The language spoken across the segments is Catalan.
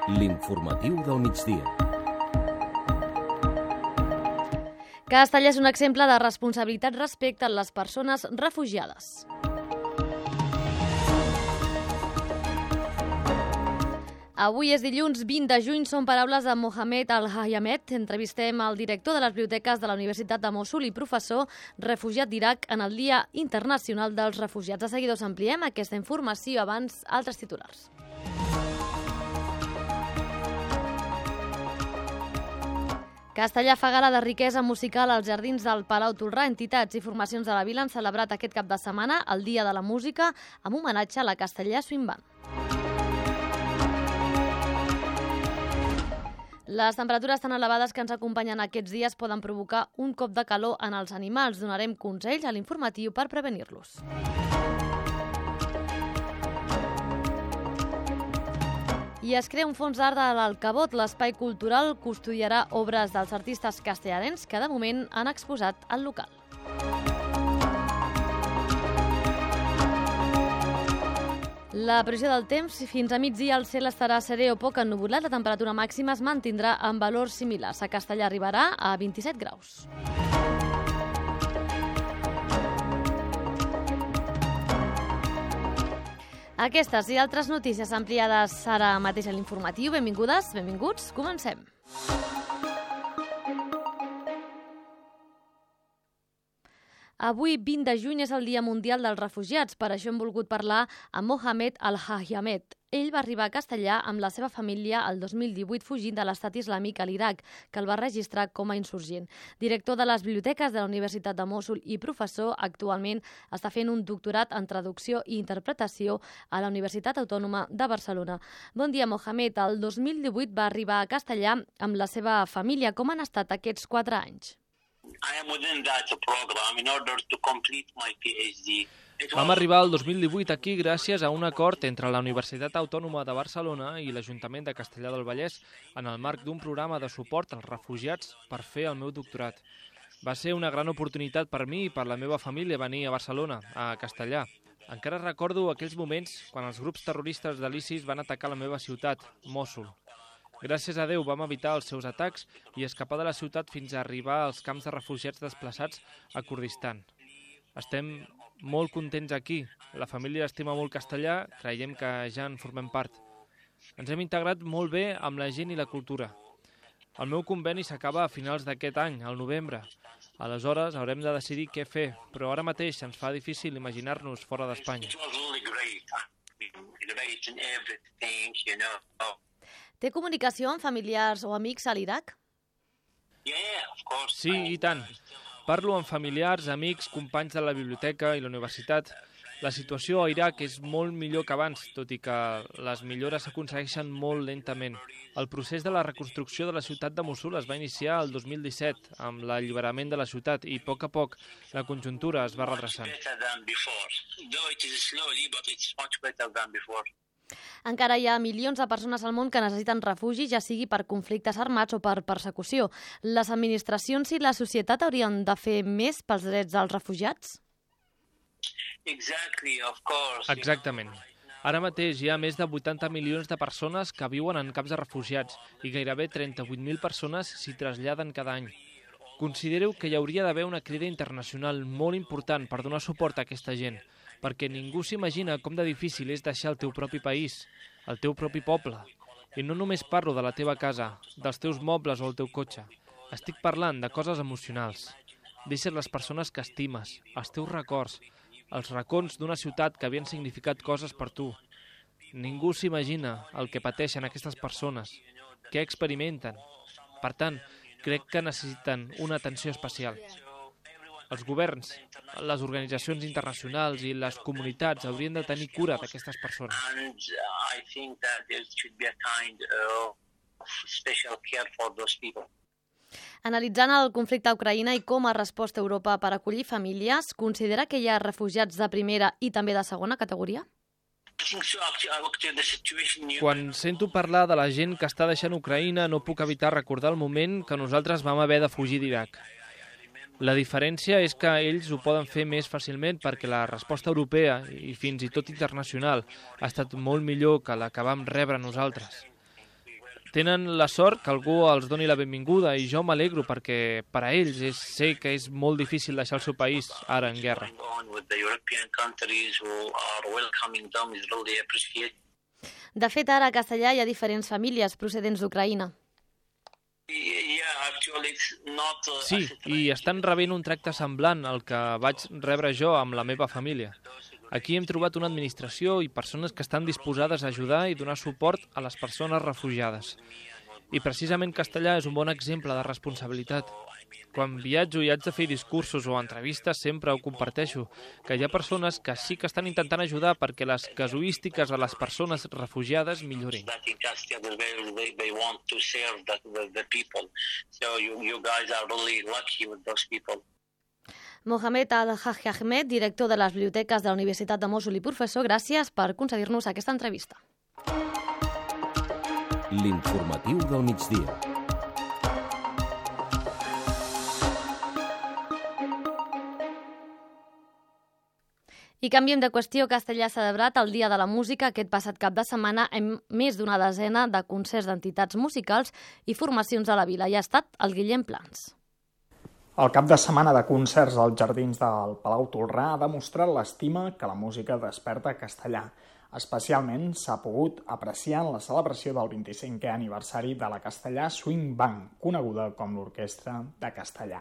L'informatiu del migdia. Castellà és un exemple de responsabilitat respecte a les persones refugiades. Avui és dilluns 20 de juny, són paraules de Mohamed Al-Hayamet. Entrevistem el director de les biblioteques de la Universitat de Mossul i professor refugiat d'Iraq en el Dia Internacional dels Refugiats. De seguida us ampliem aquesta informació, abans altres titulars. Castellà fa gala de riquesa musical als jardins del Palau Tolrà. Entitats i formacions de la vila han celebrat aquest cap de setmana el Dia de la Música amb homenatge a la Castellà Swing Band. Les temperatures tan elevades que ens acompanyen aquests dies poden provocar un cop de calor en els animals. Donarem consells a l'informatiu per prevenir-los. I es crea un fons d'art de l'Alcabot. L'espai cultural custodiarà obres dels artistes castellanencs que de moment han exposat al local. La previsió del temps, fins a migdia el cel estarà serè o poc ennuvolat, la temperatura màxima es mantindrà en valors similars. A Castellà arribarà a 27 graus. Aquestes i altres notícies ampliades ara mateix a l'informatiu. Benvingudes, benvinguts, comencem. Avui, 20 de juny, és el Dia Mundial dels Refugiats. Per això hem volgut parlar amb Mohamed Al-Hayamet. Ell va arribar a Castellà amb la seva família el 2018 fugint de l'estat islàmic a l'Iraq, que el va registrar com a insurgent. Director de les biblioteques de la Universitat de Mossul i professor, actualment està fent un doctorat en traducció i interpretació a la Universitat Autònoma de Barcelona. Bon dia, Mohamed. El 2018 va arribar a Castellà amb la seva família. Com han estat aquests 4 anys? Vam arribar el 2018 aquí gràcies a un acord entre la Universitat Autònoma de Barcelona i l'Ajuntament de Castellar del Vallès en el marc d'un programa de suport als refugiats per fer el meu doctorat. Va ser una gran oportunitat per mi i per la meva família venir a Barcelona, a Castellar. Encara recordo aquells moments quan els grups terroristes de l'ISIS van atacar la meva ciutat, Mossul. Gràcies a Déu vam evitar els seus atacs i escapar de la ciutat fins a arribar als camps de refugiats desplaçats a Kurdistan. Estem molt contents aquí. La família estima molt Castellà, creiem que ja en formem part. Ens hem integrat molt bé amb la gent i la cultura. El meu conveni s'acaba a finals d'aquest any, al novembre. Aleshores haurem de decidir què fer, però ara mateix ens fa difícil imaginar-nos fora d'Espanya. Té comunicació amb familiars o amics a l'Iraq? Sí, i tant. Parlo amb familiars, amics, companys de la biblioteca i la universitat. La situació a Iraq és molt millor que abans, tot i que les millores s'aconsegueixen molt lentament. El procés de la reconstrucció de la ciutat de Mossul es va iniciar el 2017, amb l'alliberament de la ciutat, i a poc la conjuntura es va redreçant. Encara hi ha milions de persones al món que necessiten refugi, ja sigui per conflictes armats o per persecució. Les administracions i la societat haurien de fer més pels drets dels refugiats? Exactament. Ara mateix hi ha més de 80 milions de persones que viuen en camps de refugiats i gairebé 38.000 persones s'hi traslladen cada any. Considero que hi hauria d'haver una crida internacional molt important per donar suport a aquesta gent, perquè ningú s'imagina com de difícil és deixar el teu propi país, el teu propi poble. I no només parlo de la teva casa, dels teus mobles o el teu cotxe. Estic parlant de coses emocionals. Deixes les persones que estimes, els teus records, els racons d'una ciutat que havien significat coses per tu. Ningú s'imagina el que pateixen aquestes persones, què experimenten. Per tant, crec que necessiten una atenció especial. Els governs, les organitzacions internacionals i les comunitats haurien de tenir cura d'aquestes persones. Analitzant el conflicte a Ucraïna i com ha respost Europa per acollir famílies, considera que hi ha refugiats de primera i també de segona categoria? Quan sento parlar de la gent que està deixant Ucraïna, no puc evitar recordar el moment que nosaltres vam haver de fugir d'Iraq. La diferència és que ells ho poden fer més fàcilment perquè la resposta europea i fins i tot internacional ha estat molt millor que la que vam rebre nosaltres. Tenen la sort que algú els doni la benvinguda i jo m'alegro perquè per a ells sé que és molt difícil deixar el seu país ara en guerra. De fet, ara a Castellà hi ha diferents famílies procedents d'Ucraïna. Sí, i estan rebent un tracte semblant al que vaig rebre jo amb la meva família. Aquí hem trobat una administració i persones que estan disposades a ajudar i donar suport a les persones refugiades. I precisament Castellà és un bon exemple de responsabilitat. Quan viatjo i haig de fer discursos o entrevistes sempre ho comparteixo, que hi ha persones que sí que estan intentant ajudar perquè les casuístiques de les persones refugiades millorin. Mohamed Al-Hajj Ahmed, director de les biblioteques de la Universitat de Mossul i professor, gràcies per concedir-nos aquesta entrevista. L'informatiu del migdia. I canviem de qüestió. Castellà ha celebrat el Dia de la Música aquest passat cap de setmana amb més d'una desena de concerts d'entitats musicals i formacions a la vila. I ha estat el Guillem Plans. El cap de setmana de concerts als jardins del Palau Tolrà ha demostrat l'estima que la música desperta a Castellà. Especialment s'ha pogut apreciar en la celebració del 25è aniversari de la Castellà Swing Band, coneguda com l'Orquestra de Castellà.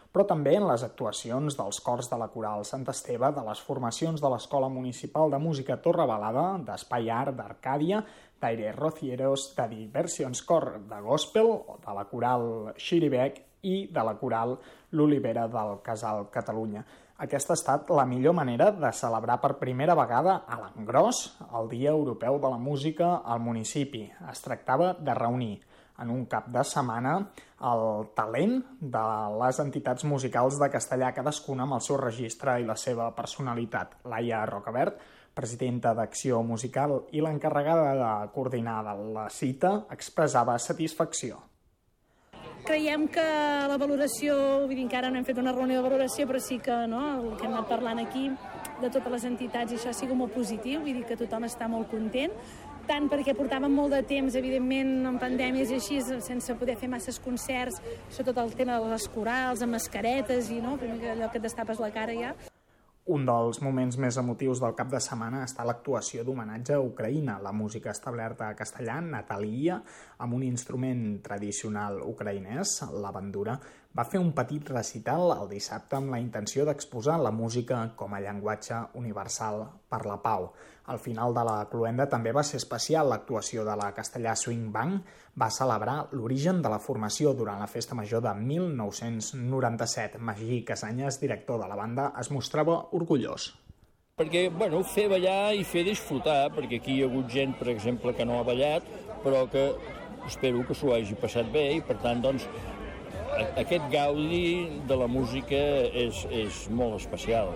Però també en les actuacions dels cors de la Coral Sant Esteve, de les formacions de l'Escola Municipal de Música Torrebalada, d'Espai Art d'Arcàdia, d'Aire Rocieros, de Diversions Cor de Gospel, de la Coral Xiribec i de la Coral L'Olivera del Casal Catalunya. Aquesta ha estat la millor manera de celebrar per primera vegada a l'engròs el Dia Europeu de la Música al municipi. Es tractava de reunir en un cap de setmana el talent de les entitats musicals de Castellà, cadascuna amb el seu registre i la seva personalitat. Laia Rocabert, presidenta d'Acció Musical i l'encarregada de coordinar la cita, expressava satisfacció. Creiem que la valoració, vull dir, encara no hem fet una reunió de valoració, però sí que el que hem anat parlant aquí de totes les entitats, i això ha sigut molt positiu, vull dir que tothom està molt content, tant perquè portàvem molt de temps, evidentment, en pandèmies i així, sense poder fer masses concerts, sobretot el tema de les corals, amb mascaretes i allò que et destapes la cara ja. Un dels moments més emotius del cap de setmana està l'actuació d'homenatge a Ucraïna. La música establerta a Castellà, Natalia, amb un instrument tradicional ucraïnès, la bandura, va fer un petit recital el dissabte amb la intenció d'exposar la música com a llenguatge universal per la pau. Al final de la cloenda també va ser especial l'actuació de la Castellà Swing Band. Va celebrar l'origen de la formació durant la Festa Major de 1997. Magí Casanyes, director de la banda, es mostrava orgullós. Perquè, fer ballar i fer disfrutar, perquè aquí hi ha hagut gent, per exemple, que no ha ballat, però que espero que s'ho hagi passat bé i, per tant, aquest gaudi de la música és molt especial.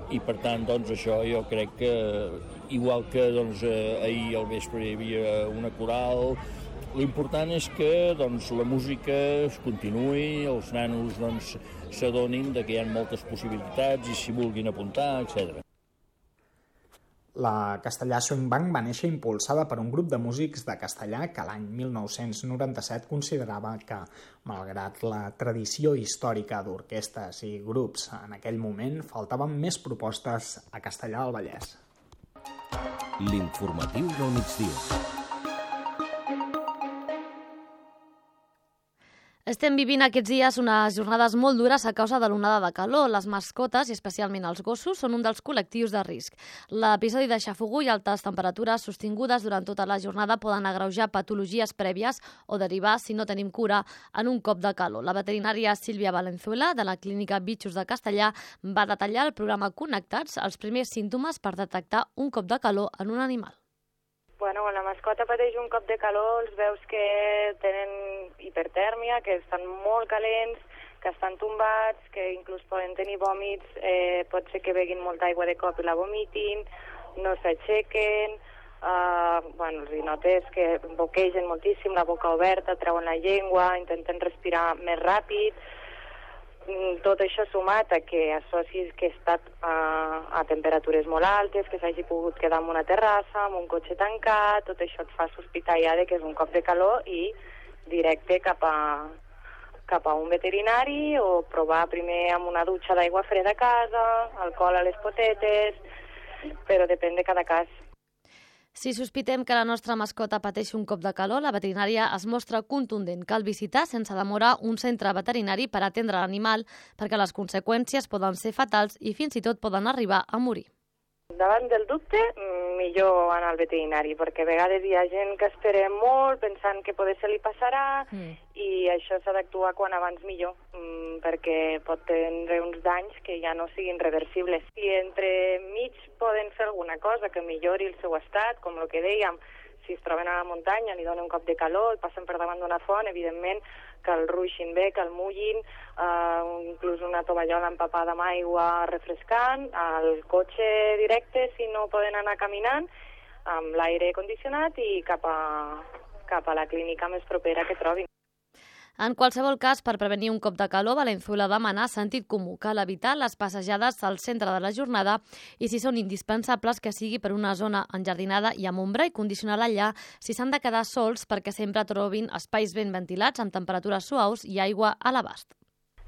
I, per tant, això jo crec que, igual que ahir al vespre hi havia una coral, l'important és que la música es continuï, els nanos s'adonin que hi ha moltes possibilitats i s'hi vulguin apuntar, etc. La Castellà Swing Band va néixer impulsada per un grup de músics de Castellà que l'any 1997 considerava que, malgrat la tradició històrica d'orquestres i grups en aquell moment, faltaven més propostes a Castellà del Vallès. L'informatiu del migdia. Estem vivint aquests dies unes jornades molt dures a causa de l'onada de calor. Les mascotes, i especialment els gossos, són un dels col·lectius de risc. L'episodi de xafogor i altes temperatures sostingudes durant tota la jornada poden agreujar patologies prèvies o derivar, si no tenim cura, en un cop de calor. La veterinària Sílvia Valenzuela, de la clínica Bitxos de Castellà, va detallar al programa Connectats els primers símptomes per detectar un cop de calor en un animal. Quan la mascota pateix un cop de calor, els veus que tenen hipertèrmia, que estan molt calents, que estan tombats, que inclús poden tenir vòmits, pot ser que beguin molta aigua de cop i la vomitin, no s'aixequen, els hi notes que boquegen moltíssim, la boca oberta, treuen la llengua, intenten respirar més ràpid. Tot això sumat a que associs que he estat a temperatures molt altes, que s'hagi pogut quedar en una terrassa, amb un cotxe tancat, tot això et fa sospitar ja de que és un cop de calor i directe cap a un veterinari o provar primer amb una dutxa d'aigua freda a casa, alcohol a les potetes, però depèn de cada cas. Si sospitem que la nostra mascota pateix un cop de calor, la veterinària es mostra contundent. Cal visitar sense demora un centre veterinari per atendre l'animal perquè les conseqüències poden ser fatals i fins i tot poden arribar a morir. Davant del dubte, millor anar al veterinari, perquè a vegades hi ha gent que espera molt pensant que potser se li passarà i això s'ha d'actuar quan abans millor, perquè pot tenir uns danys que ja no siguin reversibles. Si entre mig poden fer alguna cosa que millori el seu estat, com el que dèiem, si es troben a la muntanya, li donen un cop de calor, passen per davant d'una font, evidentment que el ruixin bé, que el mullin, inclús una tovallola empapada amb aigua refrescant, al cotxe directe, si no poden anar caminant, amb l'aire condicionat i cap a la clínica més propera que trobin. En qualsevol cas, per prevenir un cop de calor, Valenzuela demana sentit comú. Cal evitar les passejades al centre de la jornada i, si són indispensables, que sigui per una zona enjardinada i amb ombra i condicionar allà si s'han de quedar sols perquè sempre trobin espais ben ventilats amb temperatures suaus i aigua a l'abast.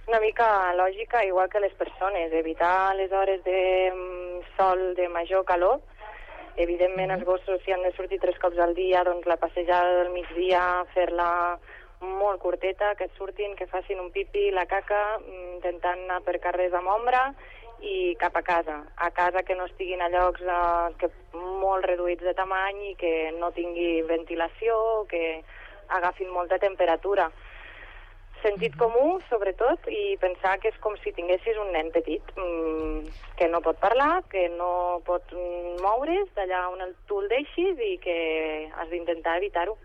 Una mica lògica, igual que les persones, evitar les hores de sol de major calor. Evidentment, els gossos, si han de sortir 3 cops al dia, doncs la passejada del migdia, fer-la molt curteta, que surtin, que facin un pipi, la caca, intentant anar per carrers amb ombra i cap a casa. A casa que no estiguin a llocs molt reduïts de tamany i que no tingui ventilació, que agafin molta temperatura. Sentit comú, sobretot, i pensar que és com si tinguessis un nen petit, que no pot parlar, que no pot moure's d'allà on tu el deixis i que has d'intentar evitar-ho.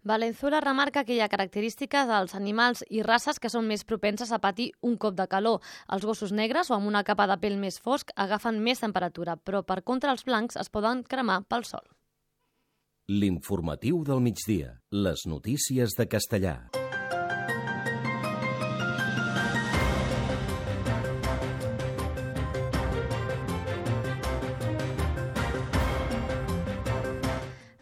Valenzuela remarca que hi ha característiques dels animals i races que són més propenses a patir un cop de calor. Els gossos negres o amb una capa de pèl més fosc agafen més temperatura, però per contra els blancs es poden cremar pel sol. L'informatiu del migdia. Les notícies de Castellà.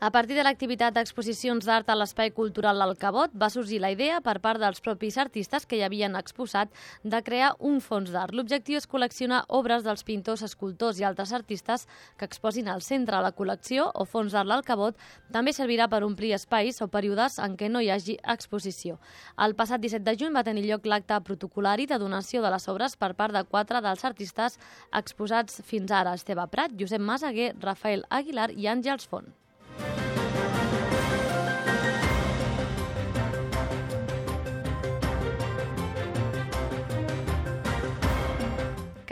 A partir de l'activitat d'exposicions d'art a l'Espai Cultural del Cabot, va sorgir la idea per part dels propis artistes que hi havien exposat de crear un fons d'art. L'objectiu és col·leccionar obres dels pintors, escultors i altres artistes que exposin al centre de la col·lecció o fons d'art del Cabot. També servirà per omplir espais o períodes en què no hi hagi exposició. El passat 17 de juny va tenir lloc l'acte protocolari de donació de les obres per part de 4 dels artistes exposats fins ara: Esteve Prat, Josep Masaguer, Rafael Aguilar i Àngels Font.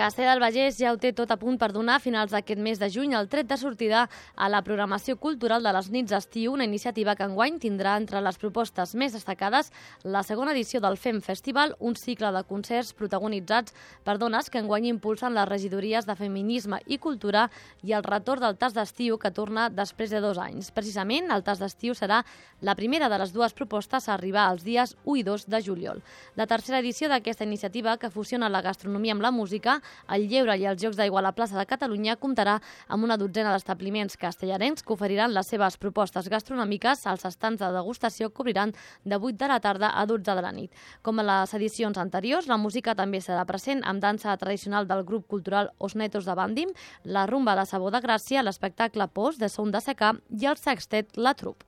Castellar del Vallès ja ho té tot a punt per donar a finals d'aquest mes de juny el tret de sortida a la programació cultural de les nits d'estiu, una iniciativa que enguany tindrà entre les propostes més destacades la segona edició del FEM Festival, un cicle de concerts protagonitzats per dones que enguany impulsen les regidories de Feminisme i Cultura i el retorn del tas d'estiu que torna després de 2 anys. Precisament, el tas d'estiu serà la primera de les 2 propostes a arribar els dies 1 i 2 de juliol. La tercera edició d'aquesta iniciativa, que fusiona la gastronomia amb la música, el lleure i els Jocs d'Aigua a la plaça de Catalunya, comptarà amb una dotzena d'establiments castellarencs que oferiran les seves propostes gastronòmiques. Els estants de degustació cobriran de 8 de la tarda a 12 de la nit. Com a les edicions anteriors, la música també serà present amb dansa tradicional del grup cultural Os Netos de Bàndim, la rumba de Sabó de Gràcia, l'espectacle Pos de Son de Secà i el sextet La Trup.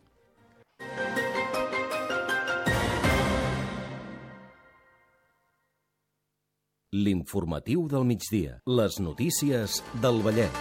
L'informatiu del migdia. Les notícies del Vallès.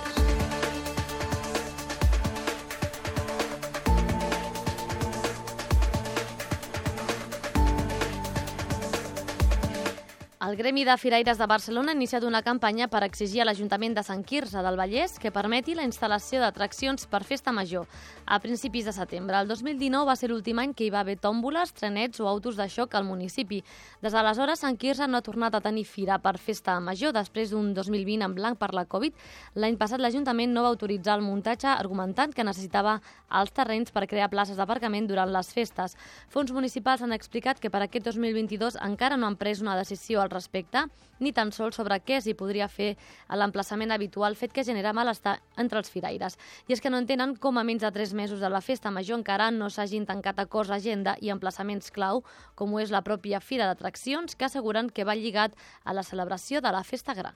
El Gremi de Firaires de Barcelona ha iniciat una campanya per exigir a l'Ajuntament de Sant Quirze del Vallès que permeti la instal·lació d'atraccions per Festa Major a principis de setembre. El 2019 va ser l'últim any que hi va haver tòmboles, trenets o autos de xoc al municipi. Des d'aleshores, Sant Quirze no ha tornat a tenir fira per Festa Major després d'un 2020 en blanc per la Covid. L'any passat l'Ajuntament no va autoritzar el muntatge argumentant que necessitava els terrenys per crear places d'aparcament durant les festes. Fons municipals han explicat que per aquest 2022 encara no han pres una decisió al respecte, ni tan sols sobre què s'hi podria fer a l'emplaçament habitual, fet que genera malestar entre els firaires. I és que no entenen com a menys de 3 mesos de la festa major encara no s'hagin tancat acords d'agenda i emplaçaments clau, com ho és la pròpia Fira d'Atraccions, que asseguren que va lligat a la celebració de la festa gran.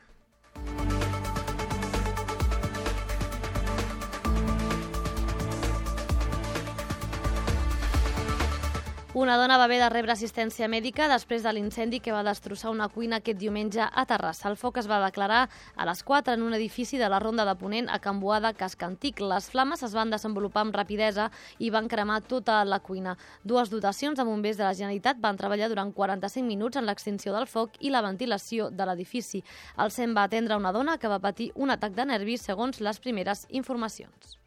Una dona va haver de rebre assistència mèdica després de l'incendi que va destrossar una cuina aquest diumenge a Terrassa. El foc es va declarar a les 4 en un edifici de la Ronda de Ponent a Can Boada, Casc Antic. Les flames es van desenvolupar amb rapidesa i van cremar tota la cuina. 2 dotacions de bombers de la Generalitat van treballar durant 45 minuts en l'extinció del foc i la ventilació de l'edifici. El SEM va atendre una dona que va patir un atac de nervis, segons les primeres informacions.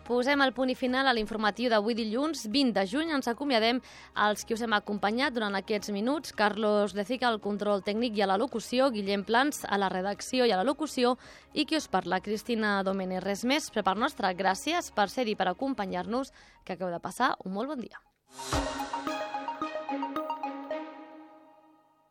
Posem el punt i final a l'informatiu d'avui dilluns 20 de juny. Ens acomiadem als qui us hem acompanyat durant aquests minuts. Carlos Lezica al control tècnic i a la locució, Guillem Plans a la redacció i a la locució i qui us parla, Cristina Domènech. Res més, per part nostra, gràcies per ser-hi, per acompanyar-nos, que acabeu de passar un molt bon dia.